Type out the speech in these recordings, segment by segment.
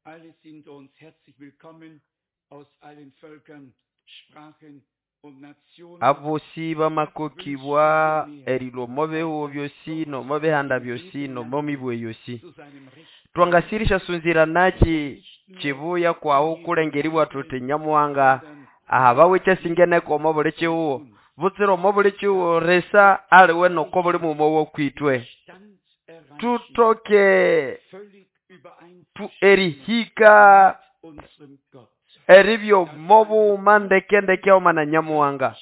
Alle sind uns herzlich willkommen aus allen Völkern, Sprachen und Nationen. Abosi bamakokibwa erilwa omo bihugho byosi nomo bihanda byosi nomo mibwe yosi. Zu seinem Recht. Twangasirisha sunziranaki chibuya kwawu kulengeribwa thuthi Nyamuhanga ahabawe ekyasingeneko omo buli kihugho butsira omo buli kihugho risa aliwe noko buli mughuma wokwitwe. Stand erreichen, Tuthoke völlig erihika übereinstimmen unserem Gott. eribya omo bughuma ndekendeke haghuma na Nyamuhanga.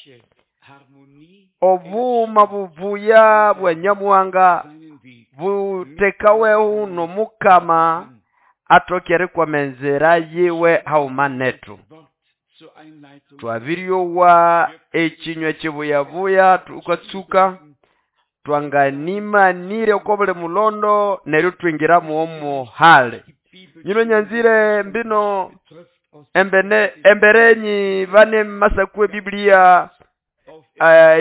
Harmonie Obughuma bubuya bwa Nyamuhanga seinen Weg buthekawehu n'Omukama athoke erikwama enzira yiwe haghuma nethu. Wort zur Einleitung Twabiryowa ekinywa ekibuyabuya tukatsuka twanganimanire oko buli mulondo neryo twingira mwomuhali. Nyino nyanzire mbino betrifft aus embene emberenyi bane masaku ebibiliya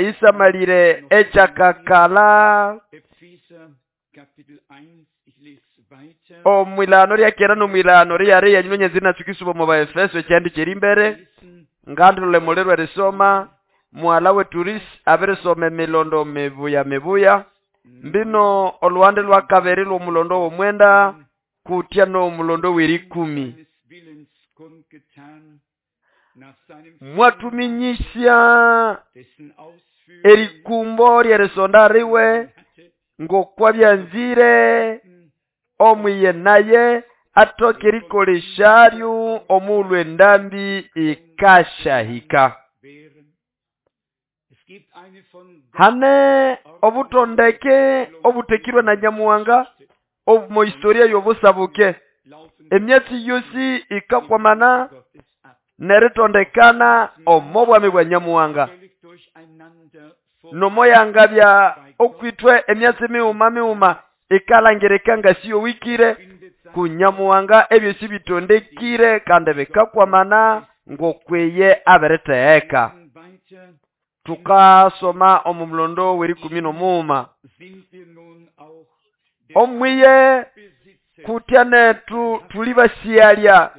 isamalire ekyakakala Epheser Kapitel 1, ich lese weiter. omwilano lyakera nomwilano lyariya nyino nyanzire natsukisuba omu Baefeso ekyandi kyeri mbere Lesen ngandilole muliro erisoma muhala wetu Risi abirisoma emilondo mibuya mibuya mbino olwande lwakabiri lw'omulondo w'omwenda kutya n'omulondo w'erikumi. seines Willens kundgetan, nach seinem Mwatuminyisya dessen Ausführung erikumbo ly'erisonda riwe hatte, ng'okwabyanzire omwiye naye athoke erikolesharyo omughulhu endambi ikasyahika. wären. Es gibt eine von Gott Hane obutondeke obutekirwe na Nyamuhanga omu historia y'obusabuke. laufen Emyatsi yosi ikakwamana Gottes ab. neritondekana omo bwami bwa Nyamuhanga. Völlig durcheinander vor Nomoyangabya okwitwe emyatsi mighuma mighuma ikalangirika nga siyowikire findet sein ku Nyamuhanga ebyosi bitondekire kandi bikakwamana ng'okwiye abiritheheka. weiter Tukasoma omu mulondo w'erikumi n'omughuma. sind wir nun auch der Omwiye Besitzer kutya nethu thuli basiyalya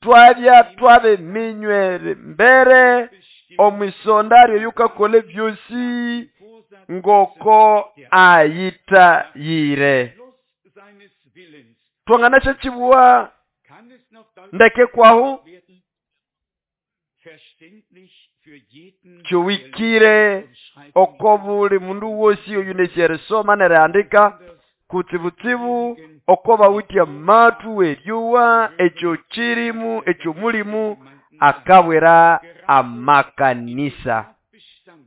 twabya twabiminywe mbere omwisonda lyoyukakolha ebyosi Vorsatz ngoko ayithayire. Schluss seines Willens. Twanganasyakibuwa Kann es noch ndeke kwahu werden? Verständlich für jeden, kyowikire der lesen und schreiben oko buli mundu wosi oyunesya erisoma nerihandika kutsibutsibu oko bawithe amathu eryowa ekyo kirimu ekyomulimu akabwira amakanisa. Bestand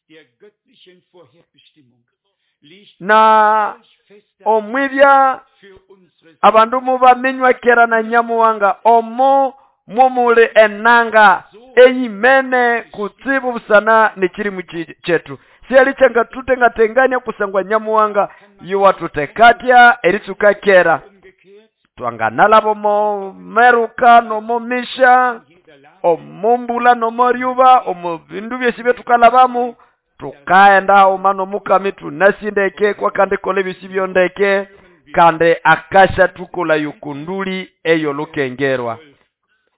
der göttlichen Vorherbestimmung liegt Na solch fester omwibya für unsere abandu mubaminywa kera na Nyamuhanga omo mwomuli enanga eyimene kutsibu busana n'ekirimu kyethu. Siyali kyangathutengatengania kusangwa Nyamuhanga yuwathutekatya eritsuka kera. umgekehrt Twanganalaba omo meruka nomo misha jeder Lage omo mbula nomo ryuba omo bindu byosi ebyetukalabamu tukaghenda haghuma n'Omukama thunasindeke kwakandikolha ebyosi byondeke kandi akashathukolha okunduli ey'olukengerwa.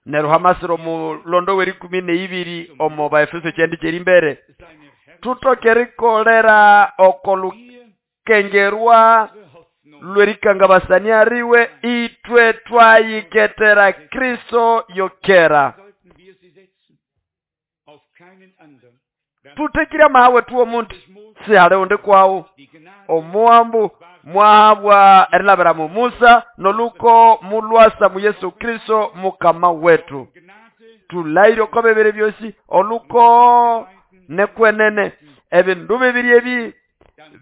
Neryo hamasira omulondo w'erikumi n'eibiri omo Baefeso ekyandi kyeri mbere seine Herrschaft thuthoke erikolera oko lukengerwa unsere Hoffnung lw'erikangabasania riwe itwe twayiketera Kristo yokera. sollten wir sie setzen auf keinen anderen. Thuthekire amaha wethu w'omundu Durch Mose sihali undi kwawu. die Gnade Omuwambu mwahabwa erilabira mu Musa noluko mulwasa mu Yesu Kristo mukama wetu. Gnade Thulayire oko bibiri byosi oluko nekwenene ebindu bibiri ebi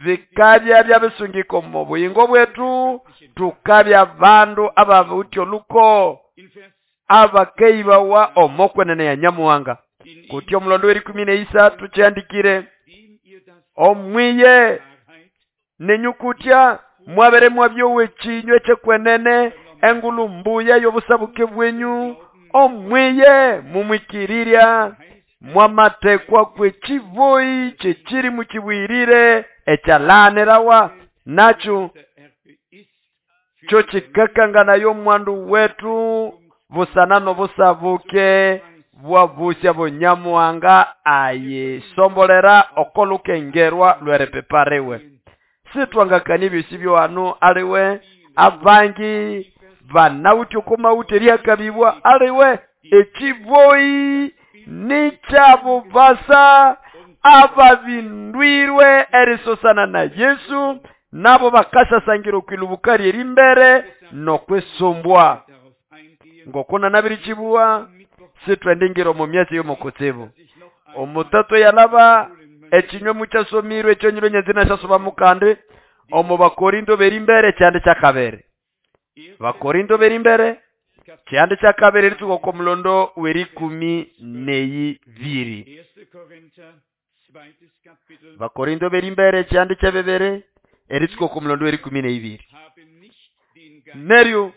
bikabya byabisungika omu buyingo bwetu tukabya bandu abawithe oluko in Vers abakeibawa omo kwenene ya Nyamuhanga. in ihm, Kutya omulondo w'erikumi n'eisathu kyandikire dem ihr das omwiye Wahrheit nenyukutya mwabere mwabyowa ekinywa ekyekwenene engulu mbuya y'obusabuke bwenyu omwiye mumwikirirya mwamatekwa kwekiboyi kyekirimu kibwirire ekyalanirawa nakyo der Erbe ist Kyo kikakanganayo omwandu wetu busana n'obusabuke bwa busya bunyamuhanga ayisombolera okolukengerwa lw'eripipariwe. Sitwangakania ebyosi byohano aliwe abangi banawithe okomawuthe erihakabibwa aliwe ekiboyi nikyabubasa ababindwirwe erisosana na Yesu nabo bakasasangira okwilubuka ly'erimbere n'okwisumbwa. Ngoko nanabirikibuwa sitwendingira omu myatsi y'omukutsibu. Omutatu yalaba ekinywa mukyasomirwe ekyonyiro nyanzi nasyasoba mukandi omu Bakorinto b'erimbere kyandi kyakabiri. Bakorinto b'erimbere kyandi kyakabiri eritsuka oko mulondo w'erikumi n'eyibiri. Bakorinto b'erimbere kyandi kyebibiri eritsuka oko mulondo w'erikumi n'eyibiri. Neryo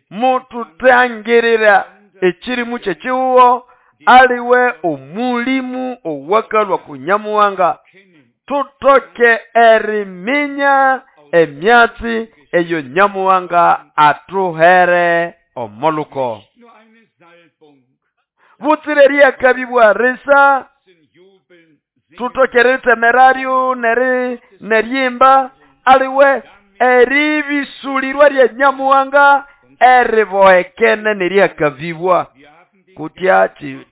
mututangirira ekirimu ky'ekihugo aliwe omulimu owakalwa ku Nyamuhanga tutoke eriminya emyatsi eyo Nyamuhanga atuhere omoluko. Butsire eryakabibwa risa tutoke eritsemeraryo neryimba aliwe eribisulirwa lya Nyamuhanga eribohekene neryakabibwa. Kutya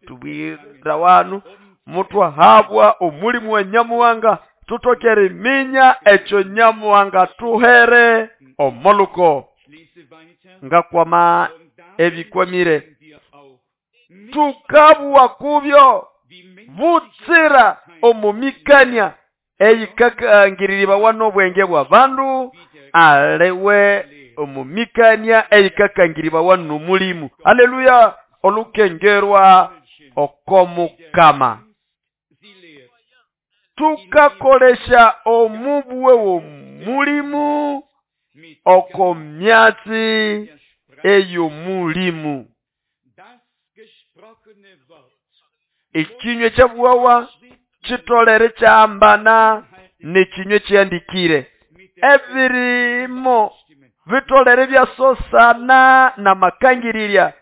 tubwira wanu mutwahabwa omulimu wa Nyamuhanga tutoke eriminya ekyo Nyamuhanga tuhere omoluko. Ngakwama ebikwamire tukabwa kubyo butsira omumikania eyikakangiriribawa n'obwenge bwa bandu aliwe omumikania eyikakangiribawa n'omulimu. Haleluya. Olukengerwa okomukama tukakolesha omubwe w'omulimu okomyatsi ey'omulimu. Ekinywa kyabwawa kitolere kyahambana n'ekinywa ekyandikire. Ebirimo bitolere byasosana n'amakangirirya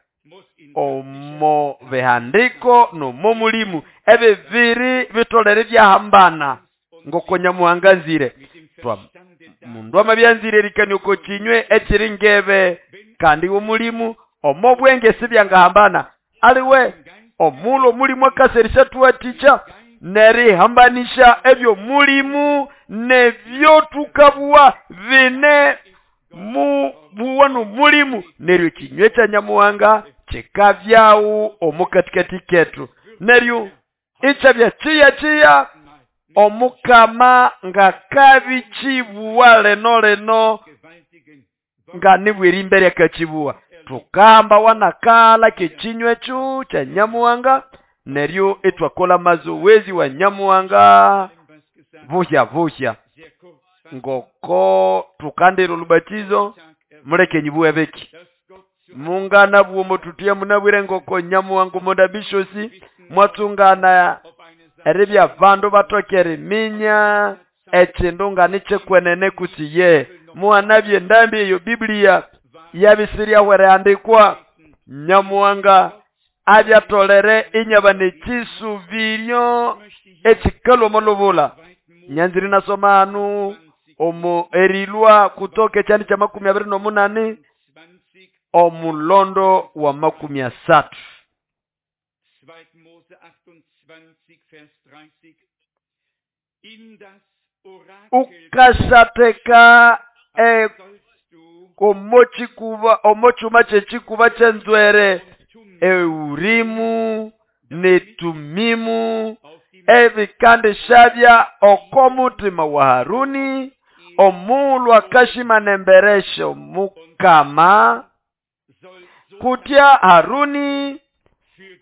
omo bihandiko n'omo mulimu. Ebibiri bitolere byahambana ngoko Nyamuhanga nzire. Mundu amabyanzire erikania oko kinywe ekiri ngebe kandi omulimu omo bwenge sibyangahambana. Aliwe omulo omulimu akaserisha tuwatikya nerihambanisha ebyo mulimu nebyo tukabuwa bine mu buwa n'omulimu. Neryo ekinywe kya Nyamuhanga kikabyawu omukatikati ketu. Neryo ikyabya kiya kiya omukama ngakabikibuwa leno leno nga nibweri imbere akakibuwa. Tukamba wanakala kekinywa ekyo kya Nyamuhanga neryo etwakola mazowezi wa Nyamuhanga buhya buhya. Ngoko tukandira olubatizo muleke nyibuwe beki mungana bwomo tutia munabwire ngoko Nyamuhanga omundabishosi mwatsungana eribya bandu batokere minya ekindu nga nikyekwenene kusiye muhanabye endambi eyo Biblia yabisirya Nyamuhanga abyatolere inyaba n'ekisubiryo ekikalwa omulubula. Nyanziri nasoma hanu omo erilwa kutoka ekyandi kya 28 omulondo wa 30. Ukasateka omochuma kyekikuba kyenzwere Eurimu netumimu ebikandishabya okomutima wa Haruni omulwa kashima nemberesho mukama kutya Haruni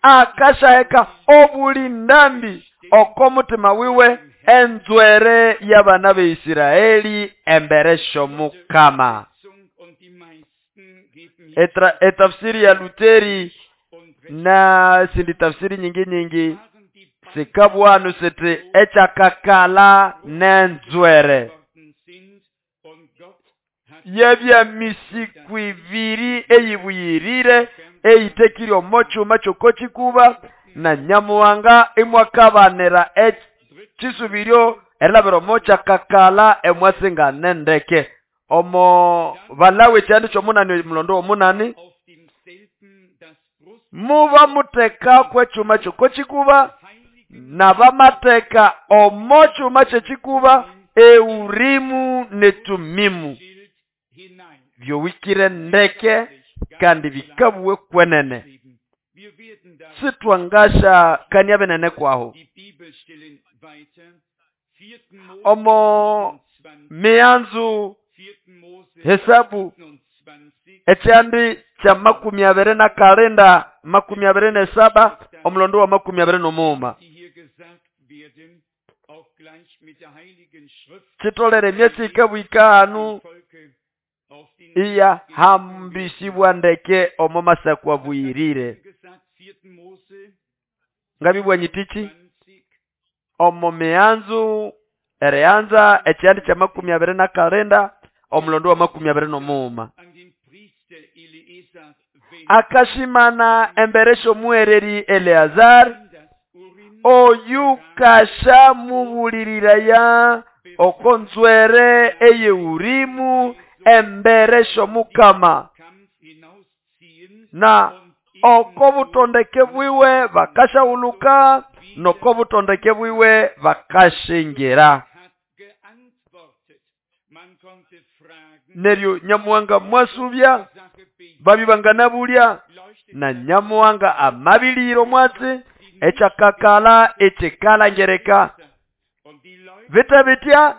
akashaheka obuli ndambi okomutima wiwe enzwere y'abana b'Isiraeli emberesho mukama. Etafsiri ya Luteri na sindi tafsiri nyingi nyingi sikabwanu siti echakakala nenzwere. Yabya misiku ibiri eyibuyirire eyitekire omo kyuma ky'oko kikuba, na Nyamuhanga imwakabanira ekisubiryo erilabira omo kyakakala emwasingane ndeke. Omo Balawi ekyandi ky'omunani omulondo w'omunani, muba mutekako ekyuma ky'oko kikuba, n'abamateka omo kyuma ky'ekikuba Eurimu ne Tumimu, byowikire ndeke kandi bikabuwe kwenene. Sitwangasha kania binene kwaho. Omo mianzu Hesabu ekyandi kya 29, 27, omulondo wa 23. Kitolere emyatsi ikabwika hanu iya hambisibwa ndeke omo masakwa buyirire. Ngabibwa nyitichi omo mianzu ereanza ekyandi kya 29, omulondo wa 23. Akashimana emberesho muhereri Eleazar oyukasha mubulirira okonzwere eyeurimu emberesho mukama, na okobutondeke bwiwe bakashawuluka nokobutondeke bwiwe bakashingira. Neryo Nyamuhanga mwasubya babibangana bulya, na Nyamuhanga amabiliro mwatsi ekyakakala ekikalangereka. Vita bitya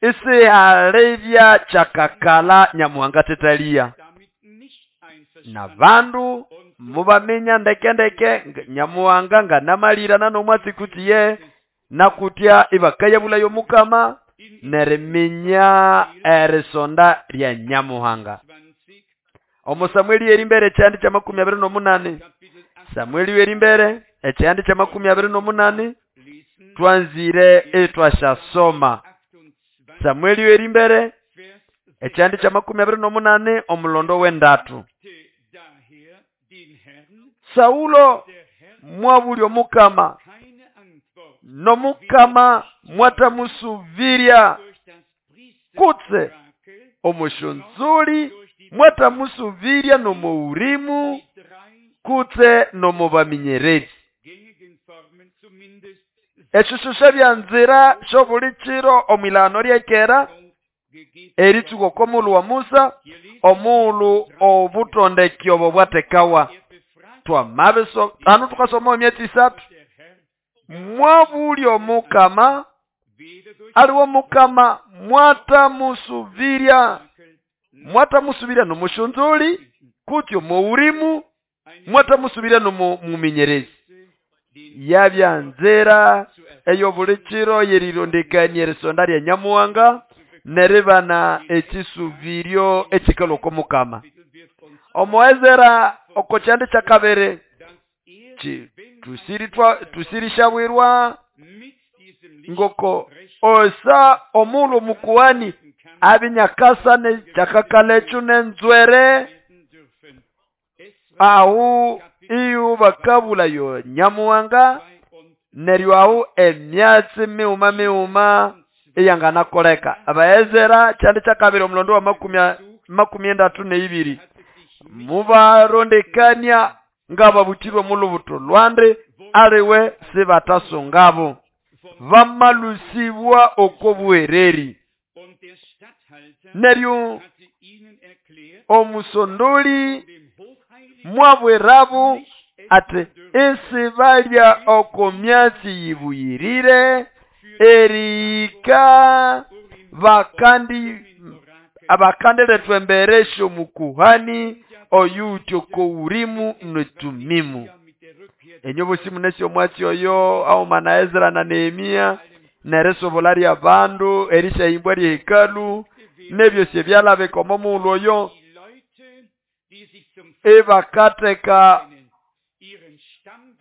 isihalebya kyakakala Nyamuhanga tetalia. Na bandu mubaminya ndeke ndeke Nyamuhanga nganamalirana nomwatsi kutiye nakutya ibakayabulayo mukama neriminya erisonda lya Nyamuhanga. Omo Samueli erimbere ekyandi kya 28. Samueli erimbere ekyandi kya 28 twanzire etwashasoma. Samueli erimbere ekyandi kya 28 omulondo w'endatu. Saulo mwabulya omukama, nomukama mwatamusuvirya kutse omushunzuli mwatamusuvirya nomuurimu kutse nomubaminyerezi. Eshishusha bya nzira shobulichiro omwilano lyekera eritsuko komulu wa Musa omulu obutondeki obo bwatekawa. Twamabeso anu tukasoma emyatsi isatu. Mwabulya omukama aliwo mukama mwatamusuvirya nomushunzuli kutyo muurimu mwatamusuvirya nomuminyerezi. Yabya nzira eyobulichiro yerirondekania erisonda lya Nyamuhanga neribana ekisuviryo ekikalwa mukama. Omo Ezera oko kyandi kya kabiri tusirishabwirwa ngoko osa omulu mukuhani abinyakasa ne kyakakala ekyo nenzwere ahu iyo bakabulayo Nyamuhanga neryo ahu emyatsi miuma miuma eyanganakoleka. Abaezera kyandi kya kabiri omulondo wa 32 mubarondekania ngababutirwe mulubuto lwande aliwe sibatasungabo bamalusibwa okobuhereri. Neryo omusondoli mwabwerabu ati esi balya oko myatsi yibuyirire erika bakandi abakandiletwa emberesho mukuhani oyutyo kourimu netumimu. Enyobosi munesi omwatsi oyo auma na Ezra na Nehemia neresobola lya bandu erishahimbwa lya hekalu nebyosi ebyalabeka omo mughulhu oyo ebakateka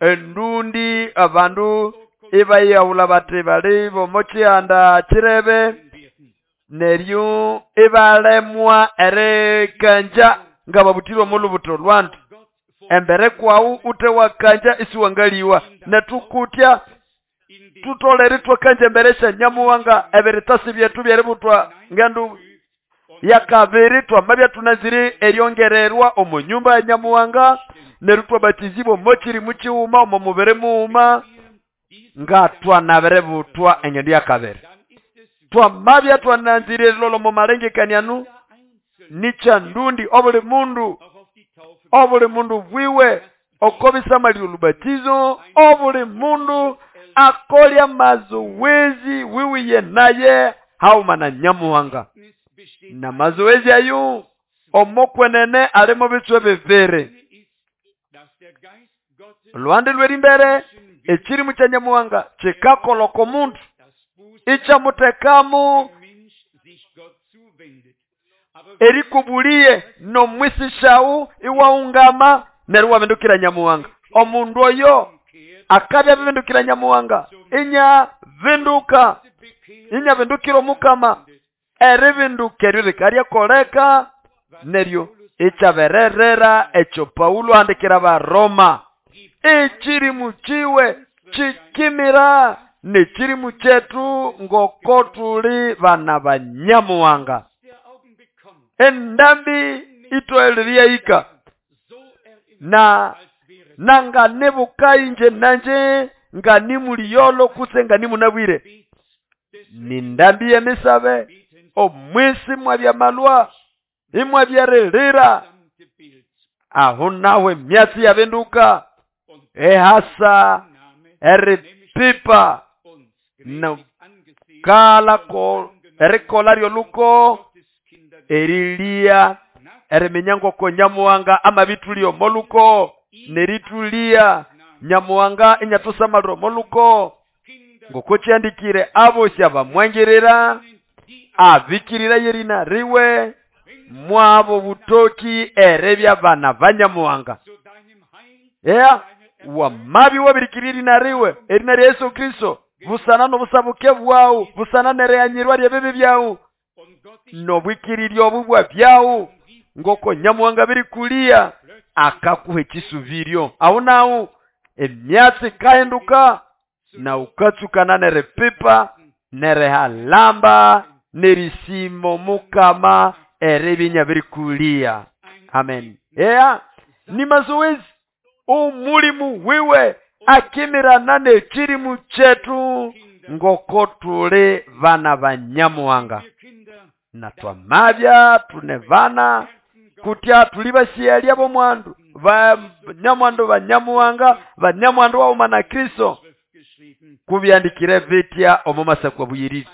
endundi abandu ebayawula bati bali bomo kyihanda kirebe. Neryo ibalemwa erikanja ngababutire omo lubuto lwandu. Embere kwawu ute wakanja isiwangaliwa. Netukutya tutolere twakanja embere sya Nyamuhanga ebiritasi byetu byeributwa ngendu yakabiri twamabya tunazire eryongererwa omu nyumba ya Nyamuhanga neryo twabatizibwa omo kirimu kighuma omo mubiri mughuma nga twanabiributwa engendo yakabiri. Twamabya twananzire erilolha omo malengekaniano nikya ndundi obuli mundu bwiwe okobisamalira olubatizo obuli mundu akolya mazoezi wiwiye naye hauma na Nyamuhanga. Na mazoezi ayo omokwenene alimo bitswe bibiri. Olwande lwerimbere ekirimu kya Nyamuhanga kikakoloko omundu ikyamutekamu erikubuliye nomwisishawu iwaungama neryo wabindukira Nyamuhanga. Omundu oyo akabya bibindukira Nyamuhanga inya binduka inya bindukira omukama eribinduka eryo likaryakoleka neryo ikyabererera ekyo Paulo ahandikira Abaroma ekirimu kiwe kikimira nekirimu kyetu ngoko tuli bana ba Nyamuhanga. Endambi itoeleriyaika na nanga nebuka inje nanje nga nimuliyolo kutse nga nimunabwire. Ni ndambi yemisabe omwisi mwabyamalwa imwabyaririra aho nawe myatsi yabinduka ehasa eripipa no kala ko erikola lyoluko erilia eriminya ngoko Nyamuhanga amabitulio moluko neritulia Nyamuhanga inyatusamaliro moluko ngoko kyandikire abosi abamwangirira abikirira yerina riwe mwabo butoki erebya bana ba Nyamuhanga. Wamabi wabirikirira erina riwe erina lya Yesu Kristo busana nobusabuke bwawu busana nereyanyirwa lyebibi byawu nobwikirirya obubwa byawu ngoko Nyamuhanga birikulia akakuha ekisubiryo. Aho nawu emyatsi kahinduka na ukatsukana nerepipa nerehalamba nerisimo mukama erebinya birikulia. Amen. Ni mazoezi omulimu wiwe akimirana nekirimu kyetu ngoko tuli bana ba Nyamuhanga. Na twamabya tune bana kutya tuli basiyalya bomwandu ba Nyamwandu ba Nyamuhanga ba Nyamwandu wauma na Kristo kubyandikire bitya omu masakwa buyiriri.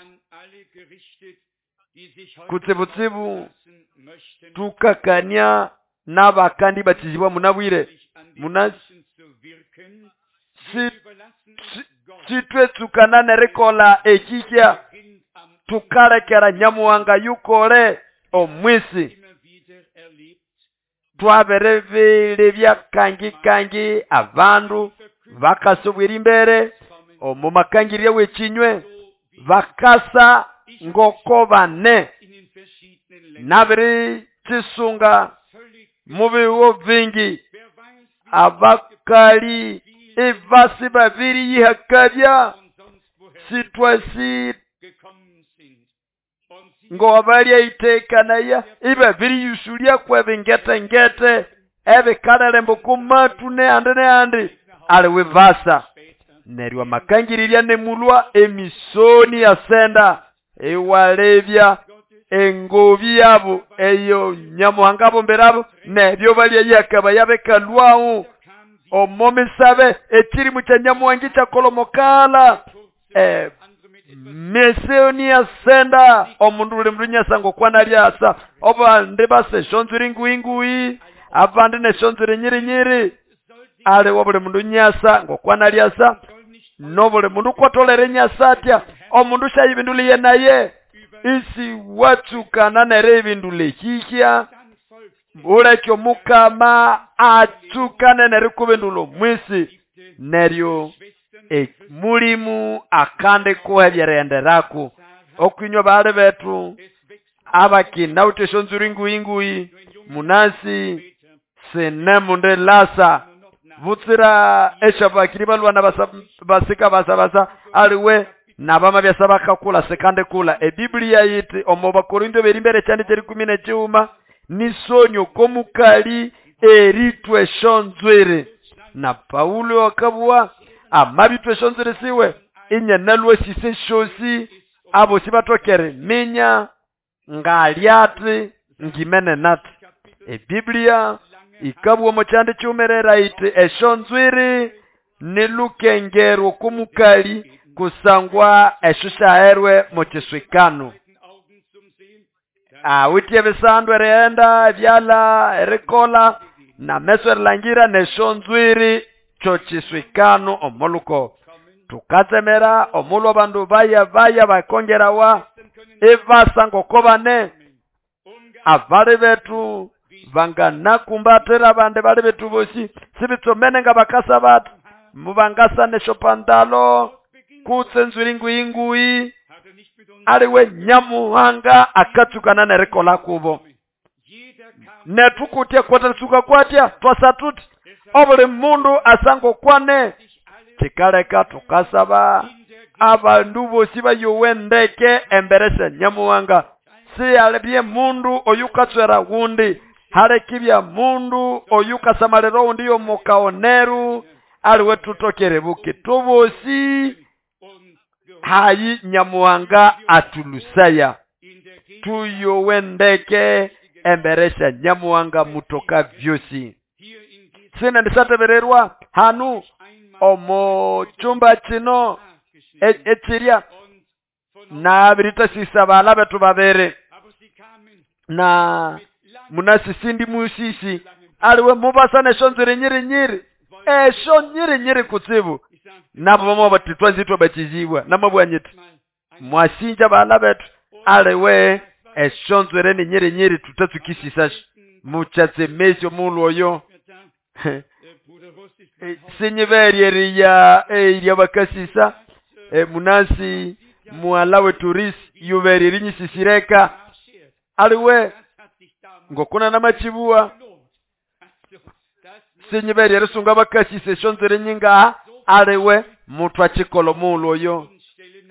Kutsibutsibu tukakania n'abakandi batizibwa munabwire munasi sitwetsukana nerikola ekikya tukalekera Nyamuhanga yukole omwisi. Twaberebelebya kangi kangi abandu bakasubwira imbere omu makangirya w'ekinywe bakasa ngoko bane nabiri kisunga mubiwo bingi abakali ebasi babiri yihakabya sitwasi ngo abalya itekanaya ibabiri yusulya kwebingetengete ebikalerembo kumatu neandi neandi aliwe vasa neryo amakangirira nemulwa emisoni yasenda ewalebya engobi yabo eyo Nyamuhanga bomberabo nebyo balya yakaba yabekalwawo omomisabe ekirimu kya Nyamuhanga kyakolomokala mesoni yasenda omundu buli mundu nyasa ngokwana lyasa obandi basa eshonzuri nguinguyi abandi neshonzuri nyirinyiri aliwo buli mundu nyasa ngokwana lyasa nobuli mundu kwatolere nyasa atya omundu shayibinduliye naye isi watsukana nere ibindule hihya ulekyo mukama atsukane nere kubindulo mwisi neryo mulimu akande kuhebyerenderaku. Okwinywa bali bethu abakinawithe esyonzwiri nguyi-nguyi munasi sine mundu lasa butsira esyabakiri balwana basika basabasa aliwe nabama byasa bakakula sikandikula. Ebiblia yiti omo Bakorinto berimbere ekyandi kyerikumi n'ekighuma nisonyo komukali eritwa esyonzwiri. Na Paulo akabugha amabitwa esyonzwiri siwe inyanalwa sise syosi abosi batokere minya ngalyati ngimene nati. Ebiblia ikabugha omo kyandi kiwumerera iti esyonzwiri nilukengerwa okw'omukali kusangwa esyo syaherwe mu kiswikano. Awithe ebisandu erighenda ebyalha erikola nameso erilangira nesyonzwiri kyo kiswikano omoluko. Tukatsemera omulhu abandu baya baya bakongerawa ibasa ngoko bane abali bethu banganakumbatira abandi bali bethu bosi sibitsomene nga bakasa bati mubangasa nesyopantalo kutse enzwiri nguyi-nguyi aliwe Nyamuhanga akatsukana nerikola kubo. Nethu kutya kwatatsuka kwatya twasa tuti obuli mundu asangokwane. Kikaleka tukasaba abandu bosi bayowe ndeke embere sya Nyamuhanga. Siyalibye mundu oyukatswera wundi halekibya mundu oyukasamalira owundi yomukaoneru aliwe tutokere buke tubosi hayi Nyamuhanga atulusaya tuyowe ndeke embere sya Nyamuhanga mutoka byosi. Sina ndisatebererwa hanu omo chumba kino ekirya nabiritasisa bala betu babere na munasisindi musisi aliwe mubasa neshonzwiri nyiri nyiri esho nyiri nyiri kutsibu nabo bamwe bati twanzitwa batizibwa namabwanyiti mwasinja bala betu aliwe eshonzwere ni nyiri nyiri tutatsukisisa muchatsemesyo mulu oyo sinyiberyeriya eirya bakasisa munasi muwala wetu yuberi rinyisisireka aliwe ngokuna namachibuwa sinyiberye risunga bakasisa eshonzwere nyingaha aliwe muthu achikolo mulu oyo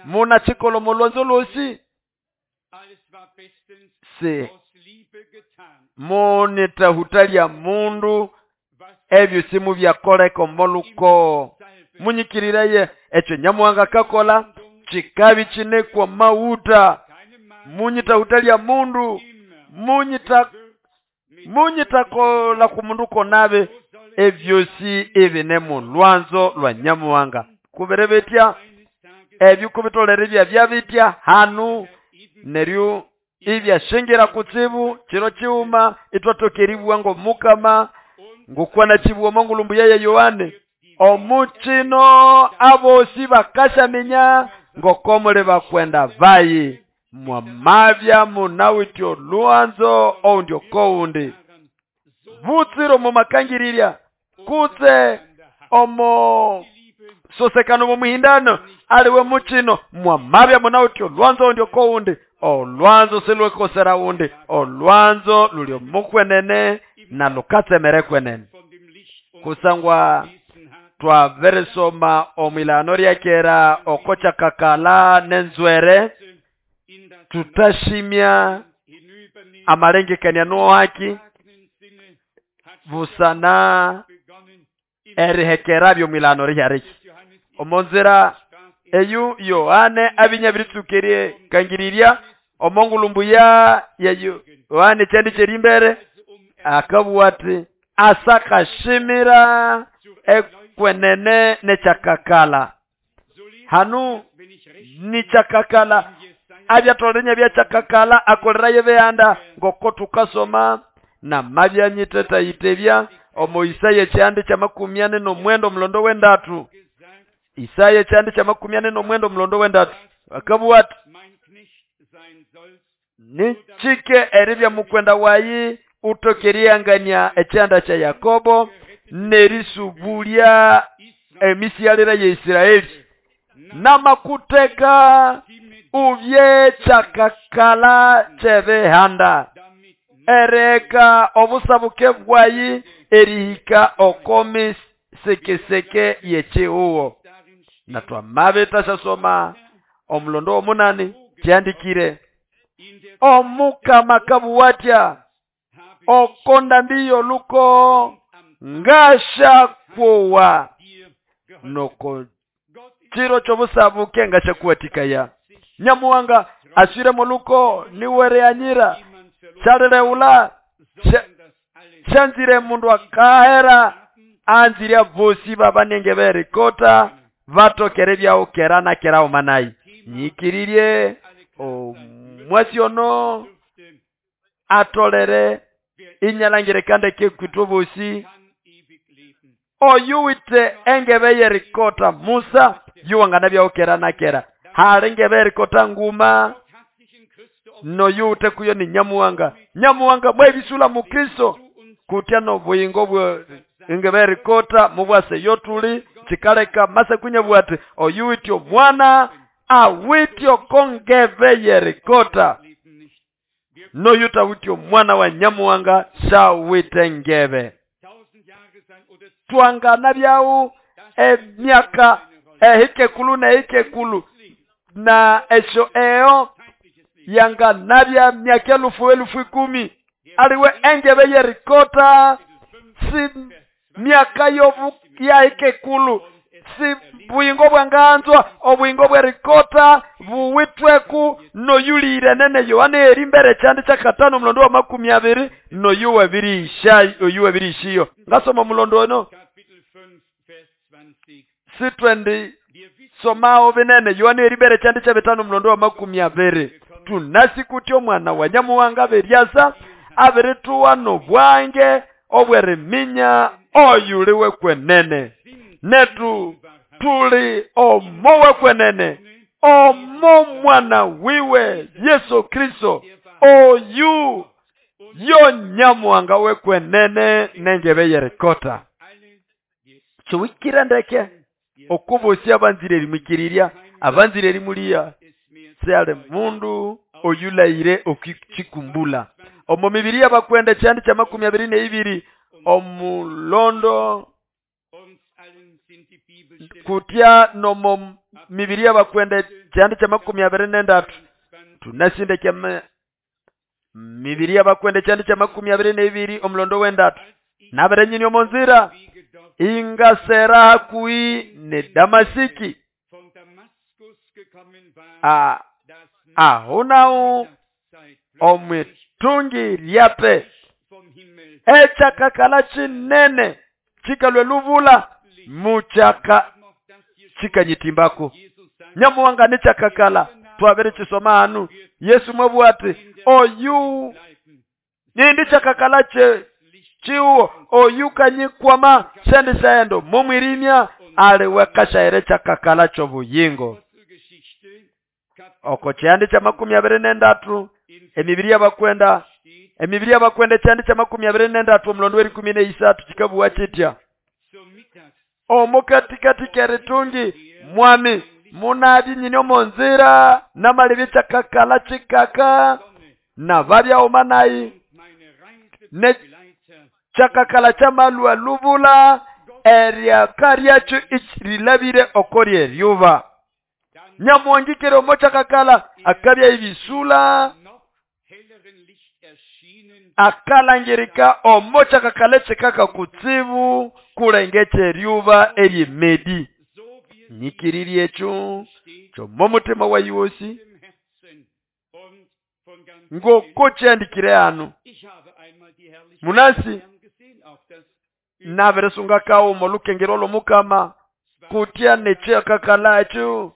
muna chikolo mulwanzo lwosi si munitahutalia mundu ebyo simu byakoleka omoluko munyikiriraye ekyo Nyamuhanga kakola chikabi chinekwa mauta munyitahutalia mundu munyitakola kumundu konabe ebyosi ebine mulwanzo lwa Nyamuhanga kuberebetya ebyo kubitolere bya byabitya hanu neryo ibyashingira kutsibu kiro kiuma itwatokeribwa ngo mukama ngokwana chibuwa mongulumbu yeye Yohane omuchino abosi bakashaminya ngokomole bakwenda vayi mwamavya munawityo lwanzo oundyo koundi butsiro mumakangirirya kutse omo sosekano mumuhindano aliwe muchino mwamavya munawityo lwanzo oundyo koundi olwanzo silwekosera wundi olwanzo lulyo mukwenene na lukatsemere kwenene kusangwa twaveresoma omwilano ryakera okochakakala nenzwere tutashimya amalengekania nohaki busana erihekerabyo omwilano ryariki omonzira eyu Yohane abinyabiritukerie kangirirya omongulumbu ya Yohane kyandi kyerimbere akabugha ati asakashimira ekwenene nekyakakala hanu nikyakakala abyatolenya byakyakakala akolerayo beyanda ngoko tukasoma namabyanyithetayitebya omo Isaya ekyandi kya 49 omulondo w'endatu Isaya ekyandi kya 49 omulondo w'endatu akabugha ati nichike eribya mukwenda wayi utokeriyangania ekyanda kya Yakobo nerisubulya emisiyalira ya Isiraeli namakuteka Ubye kyakakala ky'ebihanda ereka obusabuke bwayi erihika oko misekeseke y'ekihugo. Na twamabita syasoma omulondo w'omunani kyandikire Omukama kabuwatya oko ndambi y'oluko ngashakuwa noko chiro ky'obusabuke ngashakuwatikaya. Nyamuwanga aswire moluko niwereanyira kyalireula syanzire mundu akahera anzire bosi babanenge berikota batokere byawo kera na kera omanayi. Nyikiririe omwasi ono atolere inyalangire kande kekwitwa bosi oyuwite engebe yerikota Musa yuwangana byawo kera na kera hali ngebe yerikota nguma noyuwute kuyo ni Nyamuwanga. Nyamuwanga mwebisula mu Kristo kutya nobuyingo bwe engebe yerikota mubwase yotuli chikaleka masekunya bwate oyuwite omwana awityo kongebe yerikota noyuta wityo mwana wa Nyamuwanga shawite ngebe. Twangana byawu emyaka ehikekulu na ehikekulu na esho eo yanga nabya myaka elufu elufu ikumi aliwe engebe yerikota si myaka yobu ya hikekulu si buyingo bwanganzwa obuyingo bwerikota buwitweku noyulire nene Yohana eri mbere kyandi kyakatano mulondo wa 20 noyuwe birisha oyuwe birishiyo. Ngasoma mulondo ono si 20 somao binene Yohana eri mbere kyandi kya bitano mulondo wa 20. Tunasi kutyo mwana wa Nyamuwanga beryasa abirituwa nobwange obweriminya oyuliwe kwenene netu tuli omowe kwenene omo mwana wiwe Yesu Kristo oyu yo Nyamuwanga we kwenene nengebe yerikota. Chuwikira ndeke okubosi abanzire erimwikirirya abanzire erimulia seale mundu oyulaire okikumbula. Omo mibiri y'abakwenda kyandi kya 22 omulondo kutya nomo mibiri y'abakwenda kyandi kya 23 tunasinde kya mibiri y'abakwenda kyandi kya 22 omulondo w'endatu nabere nyini omonzira ingasera hakui ne Damasiki ahonao omwitungi lyape echakakala chinene chikalwe luvula muchaka chikanyitimbako. Nyamuwanga nechakakala twabere chisoma anu Yesu mwabwati oyu nindi chakakala che chiwo oyukanyikwama sendi saendo mumwirimya aliweka shaire chakakala chobuyingo. Oko kyandi kya 23 emibiri y'abakwenda emibiri y'abakwenda kyandi kya 23 omulondo w'eri 13 kikabuwa kitya omukatikati keritungi mwami munabi nyini omonzira namalibi kyakakala chikaka na babya omanayi ne kyakakala kyamalwa lubula eryaka lyakyo rilabire okori eryuba. Nyamuwangikire omo kyakakala akabya ibisula akalangirika omo kyakakala chikaka kutsibu kulengetse eryuba eryemedi. Nyikiriri ekyo kyomo mutima wayiwosi ngoko kyandikire anu munasi naberesunga kawo molukengero lomukama kutya nekyakakala ekyo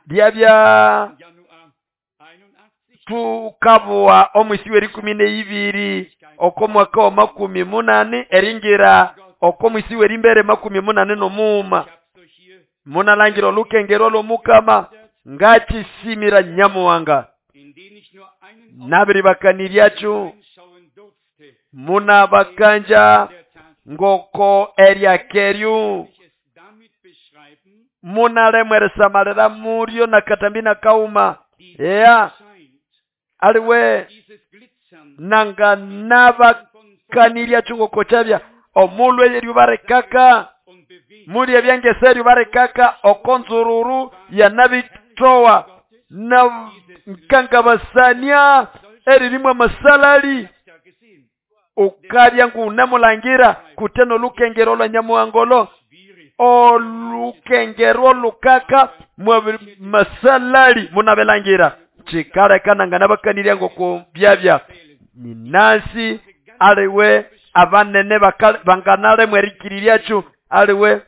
lyabya tukabuwa omwisi w'eri 12 oko mwaka wa 18 eringira oko mwisi w'eri mbere 89 munalangira olukengero lomukama ngachisimira Nyamuwanga nabiribakaniryacho munabakanja ngoko eryakeryu Munalemwa erisamalira muryo nakatambi nakauma. Eya aliwe nanga nabakanirya chungoko chabya omulwe yeryu barikaka muri ebyangese eryu barikaka okonzururu yanabitowa na nkangabasania eririmwa masalali ukabya ngunemulangira kuteno lukengero lwa nyamuhangolo olukengero lukaka mwa masalali munabelangira chikaleka nanganabakanirya ngoko byabya ninasi aliwe abanene banganalemwa erikiriryakyo aliwe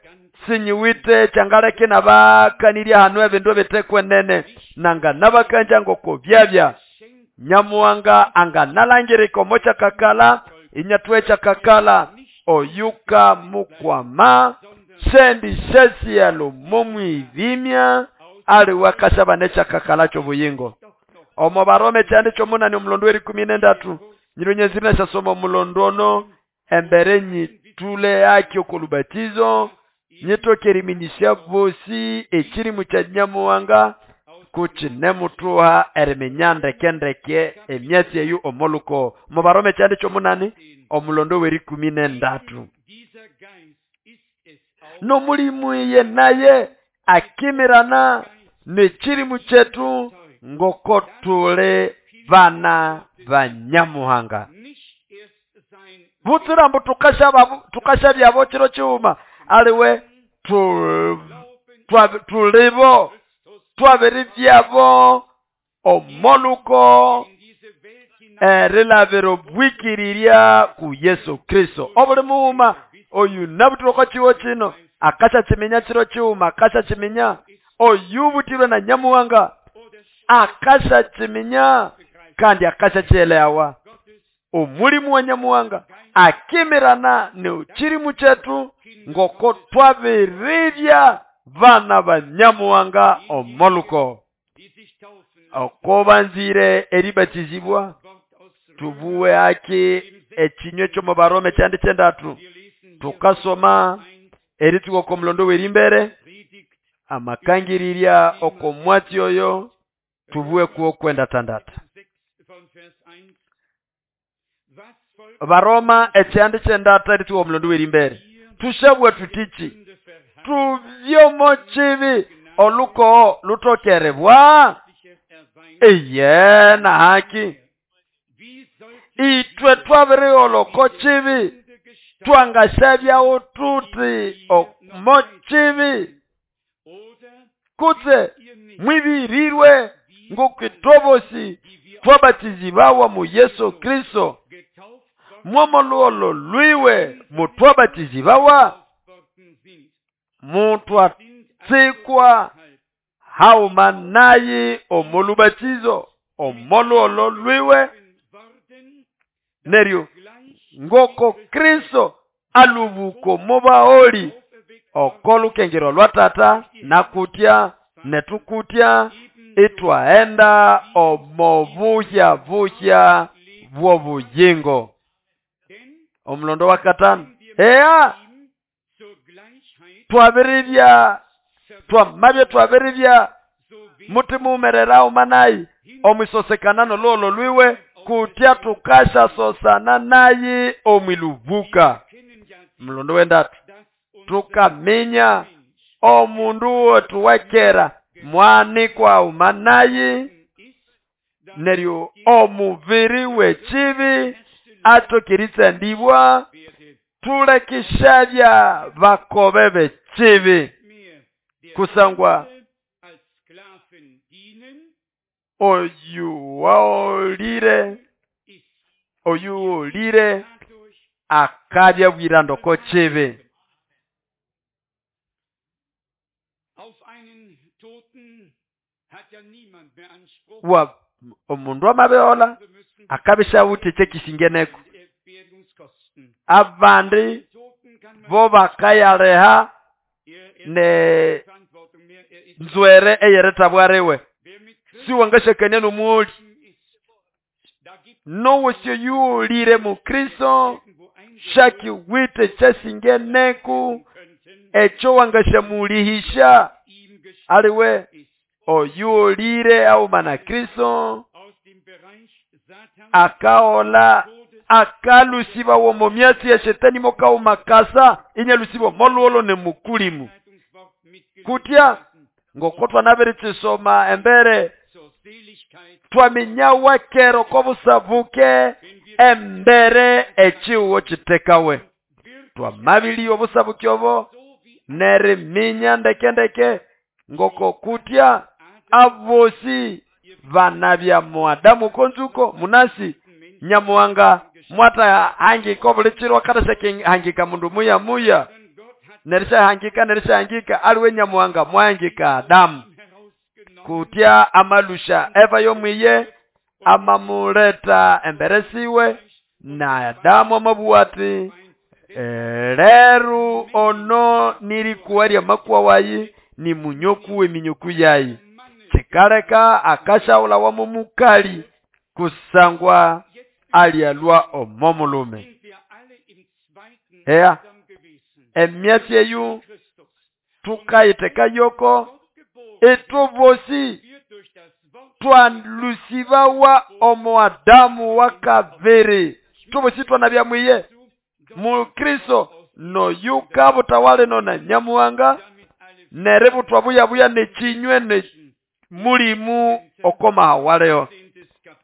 sinyiwite changaleke nabakanirya hanu ebindu ebitekwenene nanganabakanja ngoko byabya nyamuhanga anganalangirika omo kyakakala inyatwe kyakakala oyuka mukwama sendi sesialo momwibimya aliwe akasaba nekyakakala kyobuyingo. Omo Barome kyandi kyomunani omulondo w'erikumi n'endatu nyirunyezirina syasoma omulondo ono embere nyitule akyo kolubatizo nyitoke eriminyisya bosi ekirimu kya nyamuhanga kukinemutuha eriminya ndekendeke emyatsi eyo omoluko. Omo Barome kyandi kyomunani omulondo w'erikumi n'endatu nomulimu iye naye akimirana nekirimu kyetu ngoko tule bana ba nyamuhanga. Butsira mbu tukashabyabo kiro kiwuma aliwe tulibo twabiribyabo omoluko erilabira obwikirirya ku Yesu Kristo. Obuli muwuma oyu nabutirwako kiwo kino akashakiminya kiro kiwuma akashakiminya oyu butirwe na nyamuhanga akashakiminya kandi akashakyelewa. Omulimu wa nyamuhanga akimirana neukirimu kyetu ngoko twabiribya bana ba nyamuhanga omoluko. Okobanzire eribatizibwa tubuwe aki ekinywe kyomu Barome kyandi kyendatu tukasoma erituko komulondo w'erimbere amakangirirya okomwatsi oyo tubuwe kuwo kwenda tandata. Baroma ekyandi kyendatu erituko omulondo w'erimbere tushabwe tutichi tuvyomo kibi oluko lutokerebwa eye na haki itwe twabirioloko kibi twangashabyawo tuti omo kibi kutse mwibirirwe ngokitobosi twabatizibawa mu Yesu Kristo mwomoluolo lwiwe mutwabatizibawa mutwatsikwa hauma nayi omolubatizo omoluolo lwiwe neryo ngoko Kristo alubuko mubaoli okolukengero lwa tata nakutya netukutya itwaenda omobuhya buhya bw'obuyingo. Omulondo wa katano eya twabiribya twamabye twabiribya mutimumerera umanayi omwisosekana lolo lwiwe kutya tukasha sosana nayi omwilubuka. Mlondo wendatu tukaminya omundu wetu wakera mwanikwa umanayi neryo omubiri w'ekibi atokiritsa ndibwa tulekishabya bakobe b'ekibi kusangwa oyu waolire akabya bwirandoko kibi. Wa omundu amabeola akabisha utete kisingeneko abandi bo bakayaleha ne nzwere eyeretabwarewe siwangashakania nomuoli nowosyo yuolire mu Kristo shaki wite chasingeneku echo wangashamulihisha Aliwe oyuolire auma na Kristo akaola akalusiba womo myatsi ya shetani mokauma kasa inyalusiba moluolo ne mukulimu. Kutya ngokotwa nabiritsisoma embere twamenyawa kero kobusabuke embere echiwo chitekawe. Twamabili obusabuke obo neriminya ndekendeke ngoko kutya abosi banabya muadamu konzuko munasi nyamuhanga mwata hangika obulichirwa katashake hangika mundu muya muya nerisha hangika aliwe nyamuhanga mwahangika Adamu. Kutya amalusha Eva yomwiye amamuleta emberesiwe na Adamu amabuati leru ono nirikuwa lya makuwa wayi ni munyoku eminyoku yayi. Chikaleka akashaula wamumukali kusangwa alialwa omomulume. Eya emyatsi eyu tukayiteka yoko etubosi twalusibawa omo Adamu wakaviri. Tubosi twanabya mwiye mu Kristo no yuka butawale nona nyamuhanga nerebutwa buya buya nechinywe ne mulimu okoma hawaleo.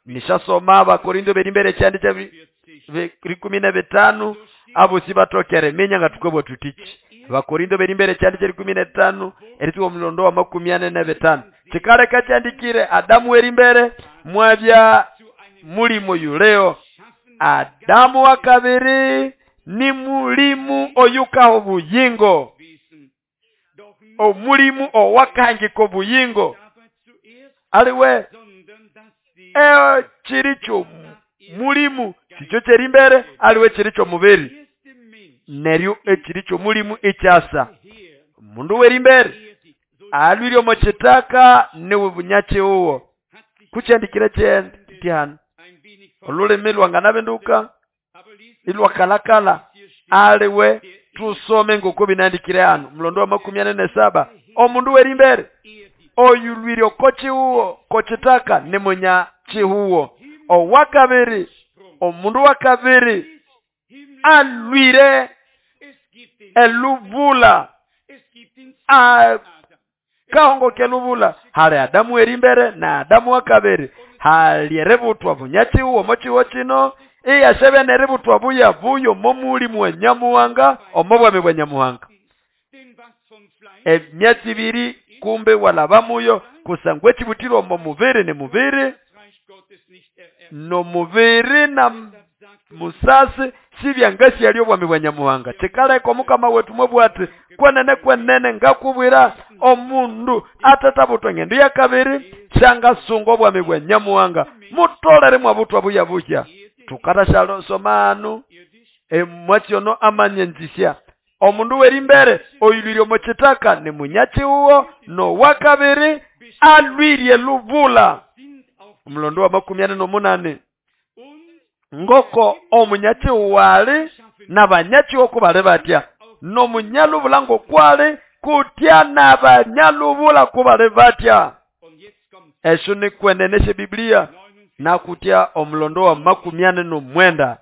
Nishasoma Abakorinto berimbere kyandi kya 15 abo sibatokere menya nga tukobwa tutichi. Abakorinto berimbere kyandi kya 15 erituwa mulondo wa 45. Chikaleka kyandikire Adamu erimbere mwabya mulimu yuleo. Adamu wa kabiri ni mulimu oyukaho buyingo. Omulimu owakahangika buyingo. Aliwe chiricho mulimu sicho cherimbere aliwe chiricho mubiri. Neryo echiricho mulimu echasa. Mundu werimbere alwiryo mochitaka niwe bunyachi uwo. Kuchandikire chentihano olulimi lwanganabenduka ilwakalakala aliwe tusome ngoko binandikire hano mulondo wa 47. Omundu werimbere oyulwiryo kochiuwo kochitaka ni munya chihuwo. Owakabiri omundu wakabiri alwire eluvula kahongo keluvula. Hali Adamu erimbere na Adamu wakabiri halierebutwa bunyachiuwo mochiwo chino iyashebe nerebutwa buya buyo momulimu wa nyamuhanga omobwami bwa nyamuhanga. Emyatsi ibiri kumbe walabamuyo kusangwe chibutiro omo mubiri ni mubiri no mubiri na musasi sibyangasi yali obwami bwa nyamuhanga. Chikaleka omukama wetu mwebwati kwenene kwenene ngakubwira omundu atatabutwa ngendo ya kabiri shangasunga obwami bwa nyamuhanga mutolere mwabutwa buya buya. Tukata soma emwatsi ono amanyenzisya omundu werimbere oyulwirye mochitaka ni munyachi uwo no wakabiri alwirye luvula. Mulondo wa 48 ngoko omunyachi wali nabanyachi okubale batya no munyaluvula ngokwali kutya nabanyaluvula kubale batya. Esho ni kweneneshe Biblia nakutya omulondo wa 49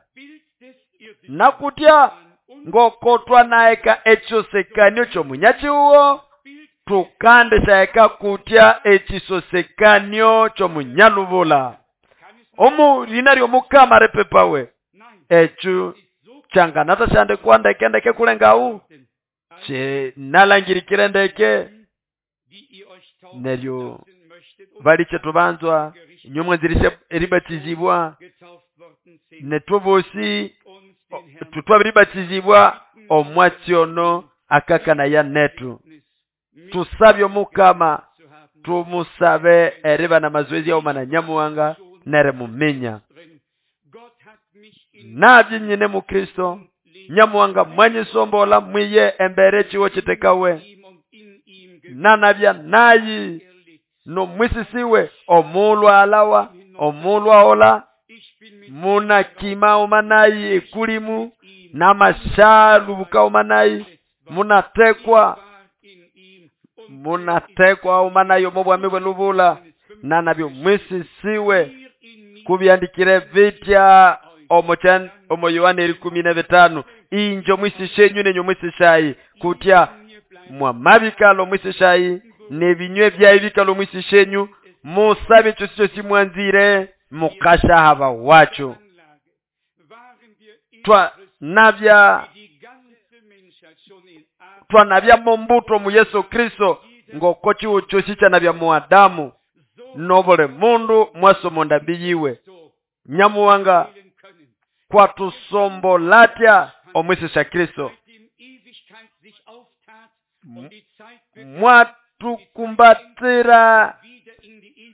nakutya ngokotwa naeka echosekanyo chomunyachi uwo tukande shaeka kutya echisosekanyo chomunyaluvula. Omu lina lyomukama repepawe echu changanata shande kwandeke ndeke kulengau che nalangirikire ndeke neryo baliche tubanzwa nyomwe zirishe eribatizibwa netubosi tutwabiribatizibwa omwatsiono akakana ya netu. Tusabye omukama tumusabe eriba na mazoezi ya umana nyamuhanga nere muminya. Nabye nyine mu Kristo nyamuhanga mwanyisombola mwiye embere chiwo chitekawe nanabya nayi no mwisisiwe omulwa alawa omulwa ola muna kima omanayi ekulimu namashalu buka omanayi munatekwa Munatekwa uma nayo omo bwami bw'elubula nanabyo mwisisiwe kubyandikire bitya omo Yohana erikumi na bitano injo mwisishenyu nenyu mwisishayi kutya mwamabikalo mwisishayi nebinywe byaibikalo mwisishenyu musabe kyosi kyosi mwanzire mukashahaba wacho. Twanabya mombuto mu Yesu Kristo ngoko chiwo kyosi kyanabya mu Adamu nobule mundu mwasomonda biyiwe. Nyamuwanga kwatusombolatya omwisisha Kristo mwatukumbatira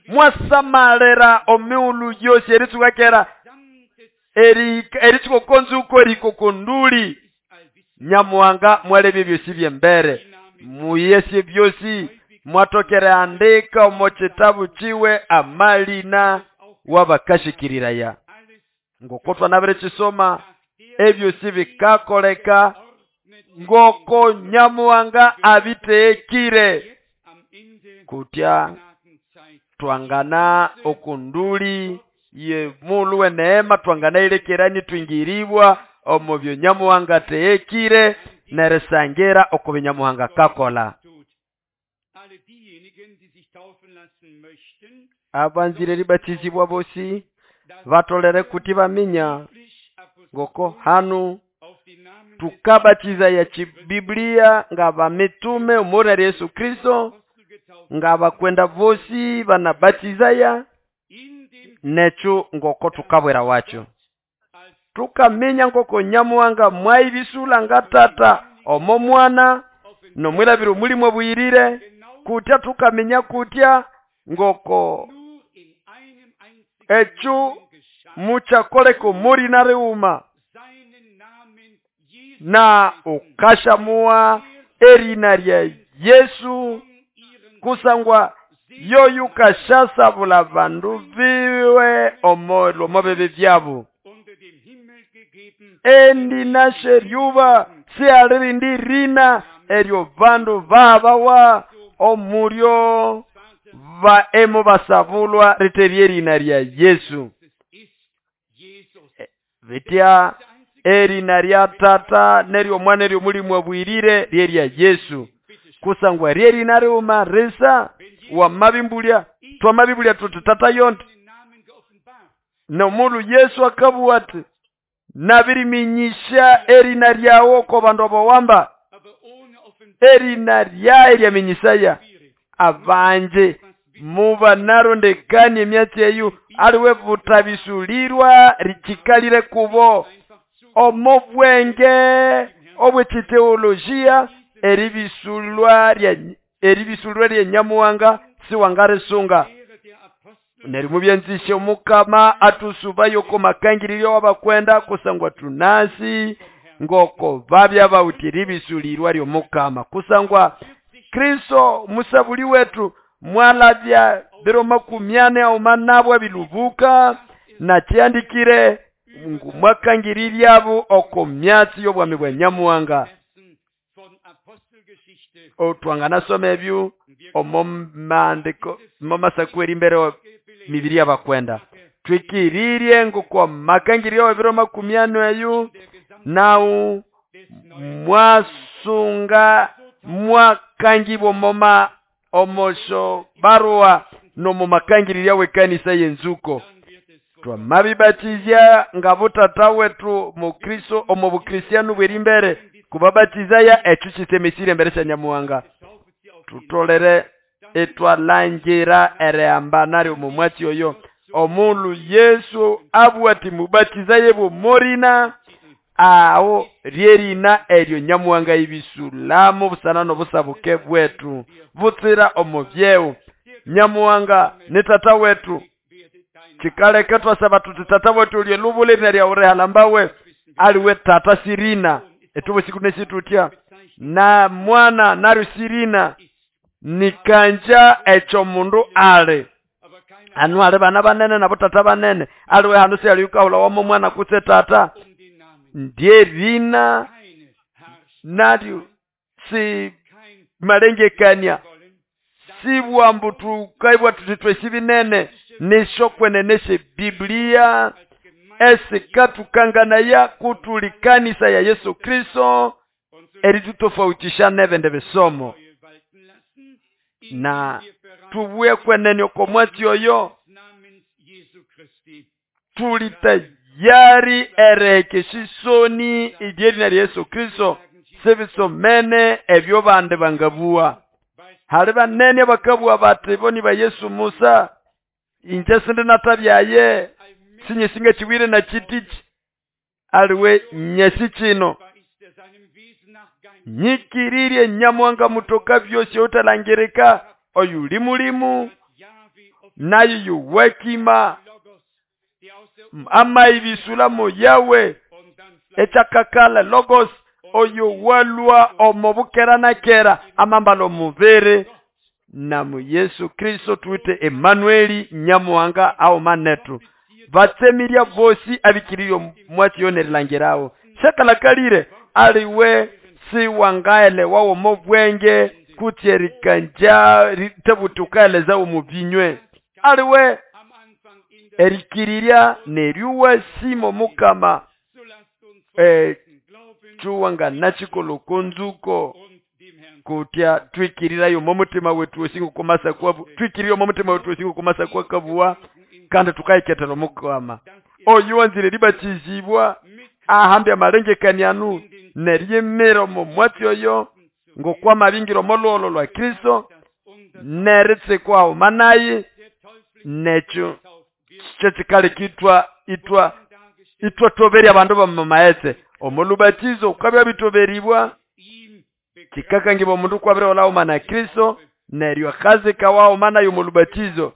mwasamalira omiulu yosi eritsukakera eritsukokonzuko erikokonduli. Nyamuwanga mwalebye byosi byembere muyesye byosi mwatokere andika omo kitabu chiwe amalina wabakashikiriraya ngoko twanabire chisoma ebyosi bikakoleka ngoko Nyamuwanga abiteekire kutya twangana okunduli ye mulu we neema twangana ilekerani twingiribwa omo byo Nyamuwanga teekire neresangira oko Nyamuwanga kakola. Abanzire ribatizibwa bosi batolere kuti baminya ngoko hanu tukabatiza ya chibiblia nga bamitume omura Yesu Kristo nga bakwenda bosi banabatizaya necho ngoko tukabwera wacho. Tukaminya ngoko Nyamuwanga mwaibisula nga tata omo mwana nomwilabiro mulimo buyirire kutya tukaminya kutya ngoko echo muchakoleko muri nareuma na ukashamua erina lya Yesu kusangwa yoyu kashasabula bandu biwe omolo mobebe byabo. Endi nasheryuba sialirindi rina eryo bandu babawa omuryo va emo basabulwa riterye rina lya Yesu. Vitya erina lya tata neryo mwana eryo mulimu abwirire lyerya Yesu kusangwa ryerina riuma risa wamabimbulya twamabibulya tuti tata yonti nomulu Yesu akabuwa ati nabiriminyisha erina lyawo ko bandu abawamba erina lyaye lyaminyisaya abanje muba narondekani emyatsi eyu aliwe butabisulirwa richikalire kubo omo bwenge obwechiteolojia eribisulwa lya Nyamuwanga siwangarisunga. Neri mubyanzishe omukama atusubayo ko makangiriryo wabakwenda kusangwa tunasi ngoko babya bawuti ribisulirwa lyo mukama kusangwa Kristo musabuli wetu mwalabya biro 40 auma nabwa bilubuka na kyandikire ngu mwakangiriryabo oko myatsi y'obwami bwa Nyamuwanga. Otwanganasoma ebyo omo maandiko momasakweri mbere mibiri y'abakwenda twikiririe ngoko makangiriryo biro 40 eyo nau mwasunga mwakangibwa moma omosho barua nomo makangirirya wekanisa yenzuko. Twamabibatizya nga butata wetu mu Kristo omo bukristiano bweri mbere kubabatizaya echo kitemesire mbere sya Nyamuwanga tutolere etwalangira erehamba naryo mu mwatsi oyo omulu Yesu abwati mubatizaye bomorina awo ryerina eryo Nyamuwanga ibisulamu busana nobusabuke bwetu butsira omu byewu. Nyamuwanga ni tata wetu chikaleke twasaba tuti tata wetu ulye lubule rina lya urehalambawe aliwe tata sirina etubo siku nesitutya na mwana naryo sirina nikanja echo mundu ale anu ale bana banene nabo tata banene aliwe hanu sialiukahula wamo mwana kutse tata ndiye rina naryo si malengekania Sibwa mbu tukaibwa tuti twesi binene nisho kwenene Biblia esikaatukanganaya kutuli kanisa ya Yesu Kristo eritutofautisha nebende bisomo na tubwe kwenene oko mwatsi oyo tuli tayari erehekesha isoni iryerina lya Yesu Kristo sibisomene ebyo bandi bangabua. Hali banene bakabua bati bo ni ba Yesu Musa inje sindi natabyaye sinyesinga chiwire na chitichi aliwe nyesi chino nyikiririe Nyamuhanga mutoka byosi otalangirika oyu limulimu nayo yuwekima amaibisula yawe echakakala logos oyo walwa omobukera na kera amambalo mubere na mu Yesu Kristo tuite Emmanueli Nyamuhanga ao manetu batsemiria bosi abikiriyo mwati yonerilangirawo shakalakalire aliwe siwangaele wawo mobwenge kutyerikanja tebutukaeleza omubinywe aliwe erikiriria neryuwa simo mukama chuwanga nachikolo konzuko kutya twikirirayo momutima wetu osingo komasa kwa twikiriyo momutima wetu osingo komasa kwa kabuwa kandi tukaiketera mukama oyu wanzire libatizibwa ahambe amalengekanianu neryemera omo mwatsi oyo ngokwamabingiro omolwolo lwa Kristo neritsikwaho manayi nekyo kyekikali kitwa itwa itwa toberya abandu bamamaetse omolubatizo ukabya bitoberibwa kikakangiba omundu kwabiriholao na Kristo neryo akazikawaho manayi omolubatizo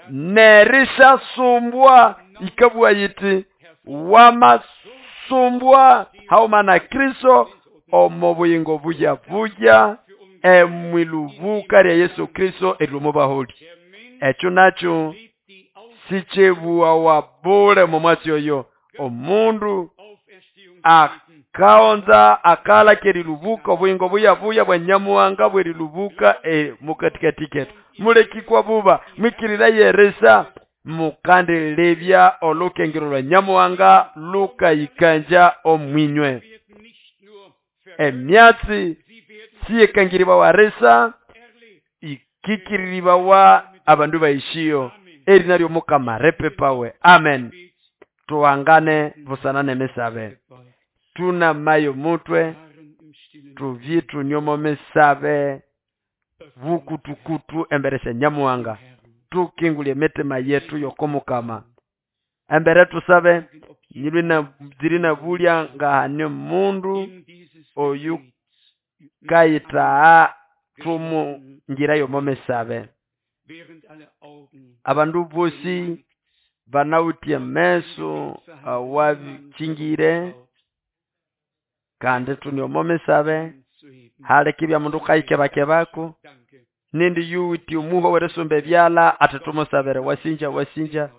nerishasumbwa ikabwa yiti wamasumbwa hauma na Kristo omo buyingo buya buya emwilubuka lya Yesu Kristo erilomubaholi. Ekyo nakyo sichebuwa wabule momwatsi oyo omundu akaonza akala kerilubuka obuyingo buya buya bwa Nyamuhanga bwerilubuka mukatikati ketu mulekikwa buba mwikirira yeresa mukandelebya olukengero lwa Nyamuhanga lukayikanja omwinywe. Emyatsi siyekangiriba waresa ikikiriribawa abandu baishiyo eri naryo Mukama repepawe. Amen. Tuangane busana nemisabe tuna mayo mutwe tuvye tunyomo misabe vukutukutu emberesha Nyamuhanga tukingulie mitima yetu yokomukama embere tusabe nyilwina zirina bulya ngahane mundu oyu kayita tumu ngira yomomesabe abandu bosi banawutie meso awabikingire kandi tunyomomesabe hale kibya mundu kayikebakebako nindi yuti omuho weresumbe byala atatumusabere wasinja wasinja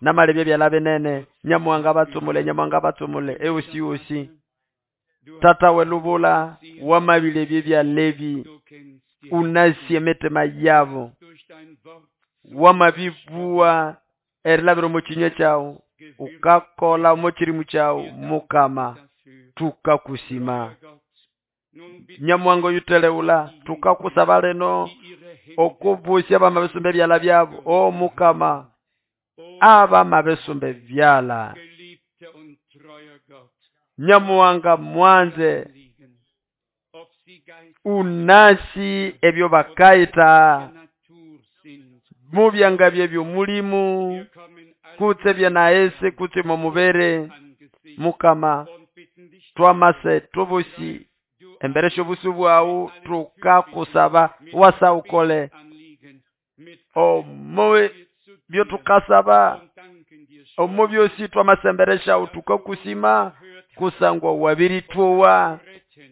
namalebye byala binene Nyamuhanga batsumule Nyamuhanga batsumule eusi usi tata welubula wamabile bya Levi unasie mitima yabo wamabibua erilabira omukinywa kyawu ukakola omukirimu kyawu Mukama tukakusima Nyamuhanga oyuteleula tukakusaba lino okubusya bamabisumba ebyala byabo o Mukama abamabisumba byala Nyamuhanga mwanze unasi ebyo bakaita mubyanga byebyo mulimu kutse byenaese kutse momubere Mukama twamase tubusi emberesho busu bwawu tukakusaba wasa ukole omo byo tukasaba omo byosi twamasemberesha tukakusima kusangwa wabirituwa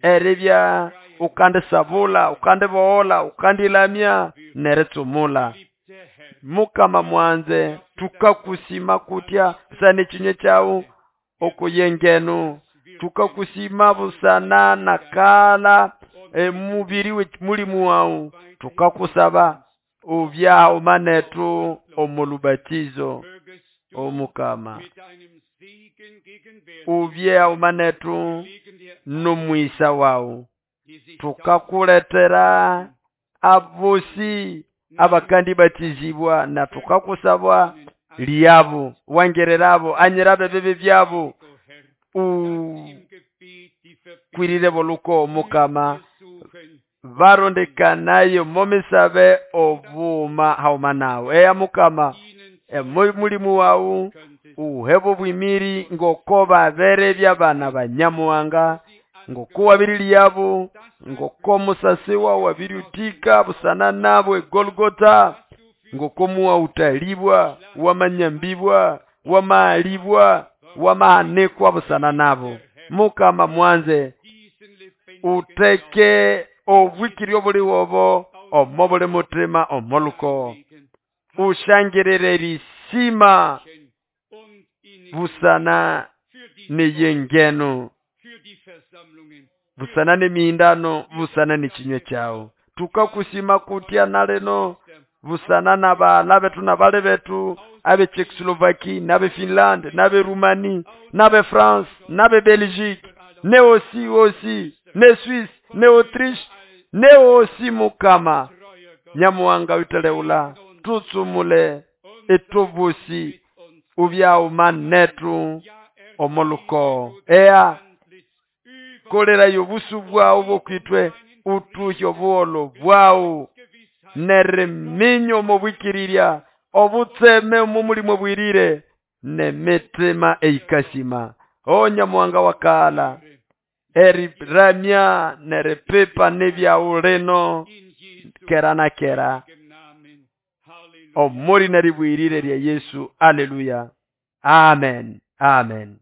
eribya ukande sabula ukande bohola ukandilamya neretsumula Mukama mwanze tukakusima kutya busana ekinye kyawu okuyengenu tukakusima busana nakala emubiri mulimu wawu tukakusaba Ubyauma netu omulubatizo omukama ubyauma netu nomwisa wawu tukakuletera abosi abakandibatizibwa na tukakusaba lyabo wangererabo anyirabo ebibi byabo ukwirire boluko mukama barondekanayo momisabe obuma hauma nawe eya mukama mulimu wawu uhebo bwimiri ngoko babere byabana banyamuhanga ngoko wabirilyabo ngoko musasi wawu wabiriutika busana nabo egolgota ngoko muwautalibwa wamanyambibwa wamaalibwa wamahanikwa busana nabo mukama mwanze uteke obwikiri obuliwobo omo buli mutima omoluko ushangirire risima busana neyengeno busana nemihindano busana nechinywe kyawu tukakusima kutya nalino busana nabala betu nabali betu abe Czechoslovaquie nabe Finland nabe Rumani nabe France nabe Belgique ne osi osi ne Suisse ne Autriche ne osi mukama nyamuwanga witeleula tutsumule etubusi ubyauma netu omoluko eya kolerayo obusu bwawu bokwitwe utuhye obuholo bwawu neriminya omubwikirirya obutseme omu mulimo bwirire nemitima eikasima o nyamuwanga wakala eriramya neripipa nebyawu lino kera na kera omuri neribwirire lya Yesu. Aleluya, amen, amen.